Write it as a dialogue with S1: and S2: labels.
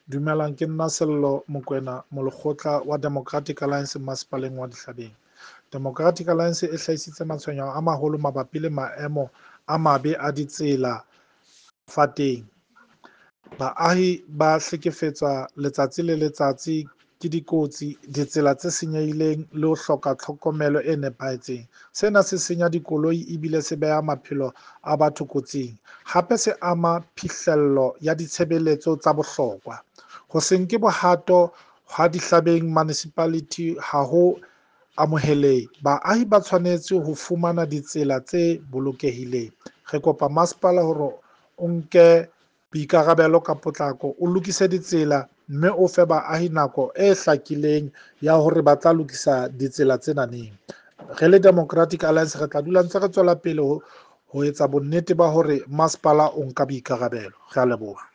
S1: Dumelang, ke nna Sello Mokoena, molekgotla wa Democratic Alliance masepaleng wa Dihlabeng. Democratic Alliance e hlahisitse matshwenyeho a maholo mabapi le maemo a mabe a ditsela Fateng. Baahi ba hlekefetswa letsatsi le letsatsi ke dikotsi, ditsela tse senyehileng le ho hloka tlhokomelo e nepahetseng. Sena se senya dikoloi ebile se beha maphelo a batho kotsing. Hape se ama phihlello ya ditshebeletso tsa bohlokwa. Ho se nke bohato ha Dihlabeng Municipality ha ho amohelehe. Baahi ba tshwanetse ho fumana ditsela tse bolokehileng. Re kopa masepala hore o nke boikarabelo ka potlako, o lokise ditsela mme o fe baahi nako e hlakileng ya hore ba tla lokisa ditsela tsena neng. Re le Democratic Alliance re tla dula ntse re tswela pele ho etsa bonnete ba hore masepala o nka boikarabelo. Re a leboha.